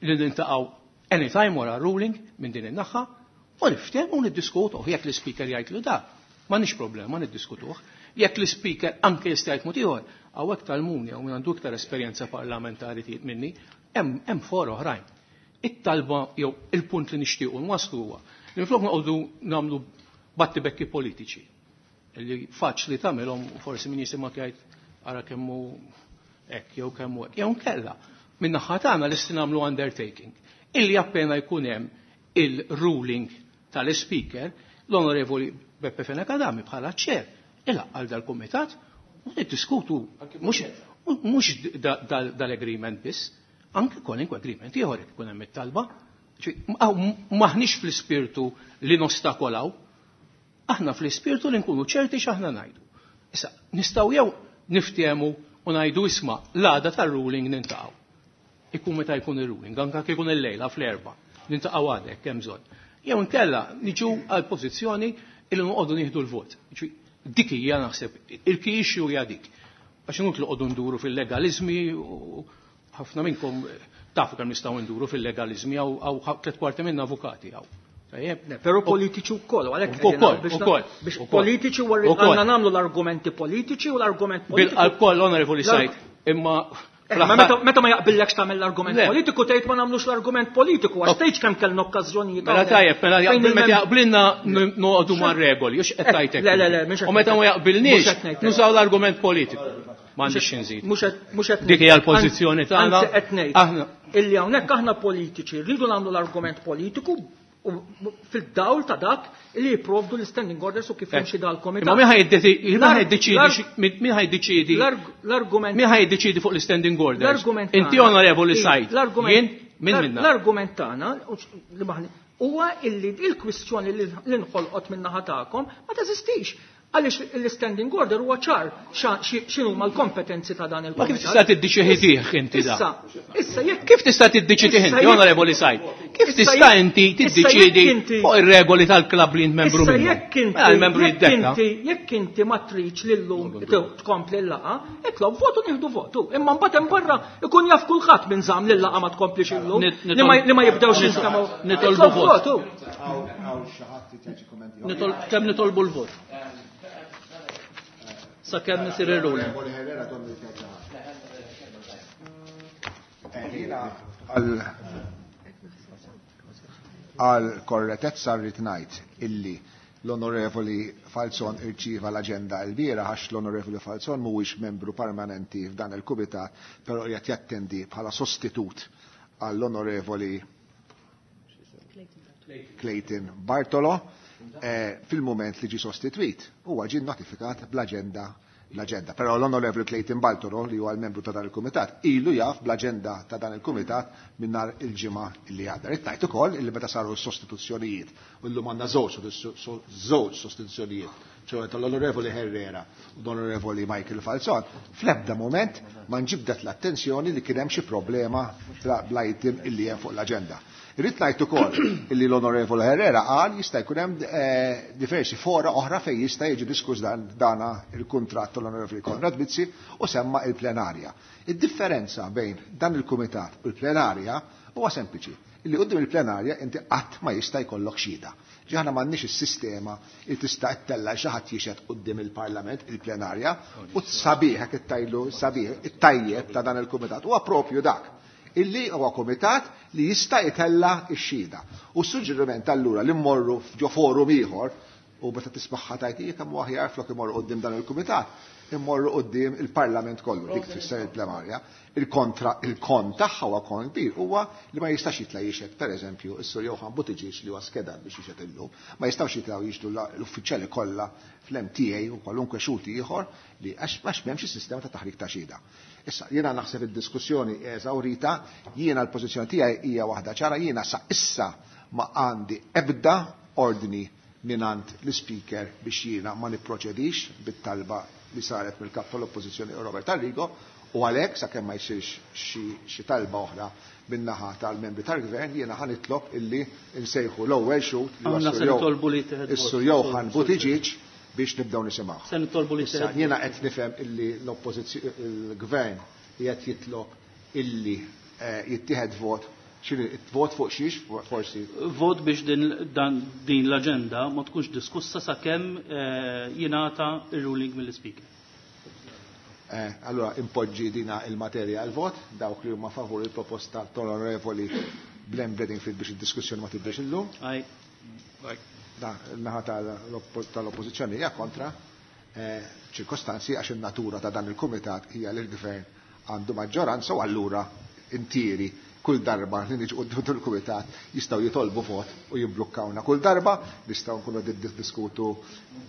li nintaqgħu anytime wara ruling minn din in-naħa u niftehmu u niddiskutu jekk l-Speaker jgħid li da, m'għandniex problema niddiskutuh. Jekk l-Speaker anke jista' jgħid mod ieħor, hawnhekk tal-Muni hawn għandu iktar esperjenza parlamentari minni, hemm fora oħrajn. It-talba jew il-punt li nixtiequ nwasslu huwa li minflok noqogħdu nagħmlu battibekki politiċi li faċli tagħmilhom forsi min jisimgħek jgħid ara kemm hu hekk jew kemm hu hekk. Jew nkella min-naħa tagħna lesti nagħmlu undertaking illi appena jkun hemm il-ruling tal-Speaker, l-Onorevoli Beppe Fenech Adami bħala chair ilaqqal dal-kumitat u niddiskutu mhux dal-agreement biss, anke kwalinkwe agreement ieħor jekk ikun hemm it-talba. Maħniex fl-ispirtu li nostakolaw, aħna fl-ispirtu li nkunu ċerti x'aħna ngħidu. Issa, nistgħu jew niftehmu u ngħidu isma' l-għada tar-ruling nintaqgħu. Ikun meta jkun ir-ruling, anke kif ikun il-lejla fl-4, nintaqgħu għadek hemm bżonn. Jew inkella niġu għal pożizzjoni illi noqogħdu nieħdu l-vot. Dik hija naħseb il-key issue hija dik. Għax inutli noqogħdu nduru fil-legalizmi u ħafna minnkom tafu kemm nistgħu nduru fil-legalizmi hawn 3/4 minna avukati hawn. Tajjeb? Però politiċi wkoll, għalhekk Ukoll, biex ukoll, biex ukoll. politiċi u Ukoll. għandna nagħmlu l-argumenti politiċi u l-argument politiku. Bil-qalb koll, Onorevoli Said, imma Ma meta ma jaqbillekx tagħmel l-argument Le. politiku tgħid ma nagħmlux l-argument politiku għax tgħidx kemm kellna okkażjonijiet Mela hawnhekk. tajjeb, mela Fejn jaqbil, meta il-mem- jaqbilna noqogħdu mar-regoli, jux qed tgħidlek. Le, le, le, mhux qed U meta ma ngħidlek. jaqbilniex, Mhux qed ngħidlek. nużaw l-argument politiku. M'għandix xi nżid. Mhux qed Dik hija l-pożizzjoni tagħna. Anzi qed ngħid. Aħna Illi hawnhekk aħna politiċi rridu nagħmlu l-argument politiku u fil-dawl ta' dak li jipprovdu l-standing orders u kif jimxi dal-komitat. Imma min ħa jiddeċiedi min ħa jiddeċiedi L-argument min ħa jiddeċiedi fuq l-standing orders? L-argument Inti tagħna- Onorevoli Ii, Said, jien min minna? L-argument tagħna li maħni huwa illi il-kwistjoni li nħolqot min-naħa tagħkom ma teżistix. Għaliex l-standing order huwa ċar x'inhuma l-kompetenzi ta' dan Ma il-komitat. kif tista' tiddeċidih inti da? Issa, issa jekk Kif tista' tiddeċidih Issa inti, jekk- Onorevoli Said? Kif Issa tista' jekk- inti issa jekk tiddeċiedi inti- fuq ir-regoli tal-klabb li int membru Issa minnu? jekk inti Mela l-membru jekk jiddetta. inti jekk inti ma tridx lillum tkompli l-laqa, itlob votu nieħdu votu. Imma mbagħad hemm barra ikun jaf kulħadd minn żamm li l-laqa ma tkomplix illum. Li ma jibdewx jinstemaw. Nitolbu Itlob vot. votu. Kemm nitolbu l-vot? Sakemm isir ir-ruling. Għal korretezza rrid ngħid illi l-Onorevoli Falzon irċieva l-aġenda l-bieraħ għax l-Onorevoli Falzon mhuwiex membru permanenti f'dan il-kumitat, però qiegħed jattendi bħala sostitut għall-Onorevoli Clayton Bartolo fil-moment li ġi sostitwit. Huwa ġie notifikat bl-aġenda l-aġenda. Però l-Onorevoli Clayton Bartolo, li huwa l-membru ta' dan il-kumitat, ilu jaf bl-aġenda ta' dan il-kumitat minn nhar il-ġimgħa li għadda. Rrid ngħid ukoll illi meta saru s-sostituzzjonijiet, u llum għandna żewġ sostituzzjonijiet, ċoħe tal-Onorevoli Herrera u l-Onorevoli Michael Falzon, fl-ebda moment ma nġibdet l-attenzjoni li kien hemm xi problema bl-item illi hemm fuq l-aġenda. Irrid ngħid ukoll illi l-Onorevoli Herrera qal jista' jkun hemm diversi fora oħra fejn jista' jiġi diskuss dana il-kuntratt tal-Onorevoli Konrad Mizzi u semma il-plenarja. Id-differenza bejn dan il-kumitat u l-plenarja huwa sempliċi. Illi quddiem il-plenarja inti qatt ma jista' jkollok xhieda. Ġi aħna m'għandniex is-sistema li tista' ttella' xi ħadd jixhed quddiem il-Parlament, il-plenarja, u s-sabiħ hekk ittajlu sabiħ, it-tajjeb ta' dan il-kumitat huwa propju dak illi huwa kumitat li jista' jtella' x-xhieda. U s-suġġeriment allura li mmorru ġo forum ieħor u meta tismagħha tgħid hija kemm hu aħjar flok imorru quddiem dan il-kumitat, immorru quddiem il-Parlament kollu, dik tfisser il-plenarja. Il-kontra, il-kon tagħha huwa kon kbir, huwa li ma jistax jitla' jixhed, pereżempju, is-Sur Johann Buttigieg li huwa skedat biex jixhed illum, ma jistgħux jitlgħu jixhdu l-uffiċjali kollha fl-MTA u kwalunkwe xhud ieħor li għax m'hemmx is-sistema ta' taħrik ta' xhieda. Issa, jiena naħseb id-diskussjoni eżawrita, jiena l-pożizzjoni tiegħi hija waħda ċara, jiena sa issa ma għandi ebda ordni mingħand l-Ispeaker biex jiena ma nipproċedix bit-talba li saret mill-Kap tal-Oppożizzjoni Robert Arrigo, u għalhekk sakemm ma jsirx xi talba oħra min-naħa tal-membri tal-Gvern jiena ħa nitlob illi nsejħu l-ewwel xhud li huwa Aħna se nitolbu li jittieħed vot. is-Sur Johann Buttigieg biex nibdew nisimgħuh. Se nitolbu li Issa, jittieħed jiena vot. qed nifhem illi l-Gvern qiegħed jitlob illi jittieħed vot. X'inhi vot fuq xiex forsi? Vot biex din l-aġenda ma tkunx diskussa sakemm jingħata ir-ruling mill-Ispeaker. Allora impoġġi dina il-materja għal vot, dawk li huma favur il-proposta tal-Onorevoli Glenn Bedingfield biex id-diskussjoni ma tibdex illum. Aye. Da, il-naħa tal-oppożizzjoni hija kontra ċirkostanzi għax in-natura ta' dan il-kumitat hija li l-gvern għandu maġġoranza u allura intieri kull darba li niġu quddiem il-kumitat jistgħu jitolbu vot u jibblukkawna kull darba, nistgħu nkunu qegħdin niddiskutu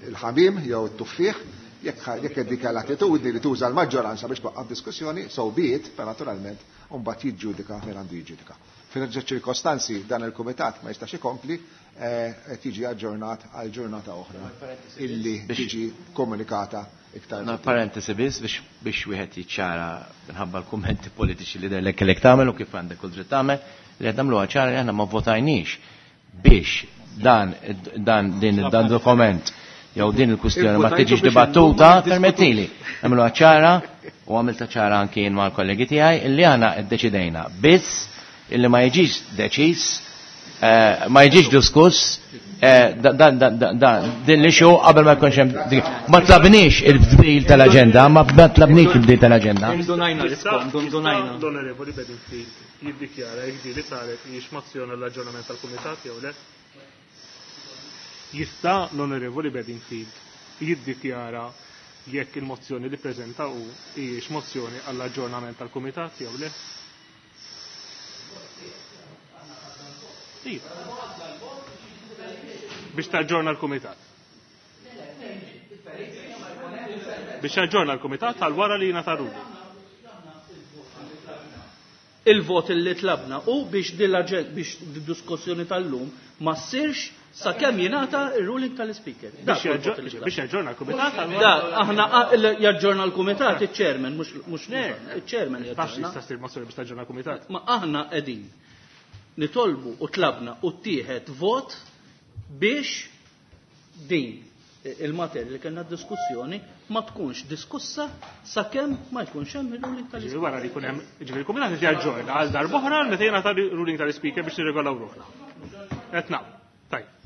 il-ħamim jew it-tuffieħ, jekk dik l-attitudni li tuża l-maġġoranza biex twaqqaf diskussjoni, so be it, per naturalment u mbagħad jiġġudika fejn għandu jiġġudika. F'dawn ċirkostanzi dan il-kumitat ma jistax ikompli, qed jiġi aġġornat għal ġurnata oħra illi tiġi komunikata iktar. Na, parentesi biss biex wieħed jiċċara minħabba l-kummenti politiċi li derlek kellek tagħmel u kif għandek kull dritt tagħmel, li qed nagħmluha ċara li aħna ma votajniex biex dan dokument jew din il-kwistjoni ma Il-votajtu tiġix biex dibattuta, illum ma permettili. Nagħmluha ċara u għamilta ċara anki jien mal-kollegi tiegħi illi aħna ddeċidejna biss illi ma jiġix deċiż, ma jiġix diskuss, din li xu qabel ma jkunx hemm dik. Ma tlabniex il-bdil tal-aġenda, ma tlabniex il-bdil tal-aġenda. Indunajna l-iskont, indunajna. L-Onorevoli Bedingfield jiddikjara jekk din li saret hijiex mozzjoni għall-aġġornament tal-Kumitat jew le? Jista' l-Onorevoli Bedingfield jiddikjara jekk il-mozzjoni li preżenta hu hijiex mozzjoni għall-aġġornament tal-Kumitat jew le? Iva. Biex taġġorna l-Kumitat. Biex taġġorna l-Kumitat għal wara li jingħata ruling. Il-vot li tlabna u biex biex diskussjoni tal-lum ma ssirx sakemm jingħata ir-ruling tal-Speaker. Dak Biex huwa l-vot li tlabna. jaġġorna l-Kumitat għal wara. Da, aħna, jaġġorna l-Kumitat iċ-Chairman, mhux iċ-Chairman Tafx jaġġorna. jista' ssir mozzjoni biex taġġorna l-Kumitat. Ma aħna qegħdin nitolbu u tlabna u ttieħed vot biex din il-materja li kellna diskussjoni ma tkunx diskussa sakemm ma jkunx hemm il-ruling tal-Speaker. Ġifieri wara li jkun hemm, ġifieri l-Kumitat qed jaġġorna għal darb'oħra meta jingħata ruling tal-Speaker biex nirregolaw ruħna. Qed nagħmlu. Tajjeb.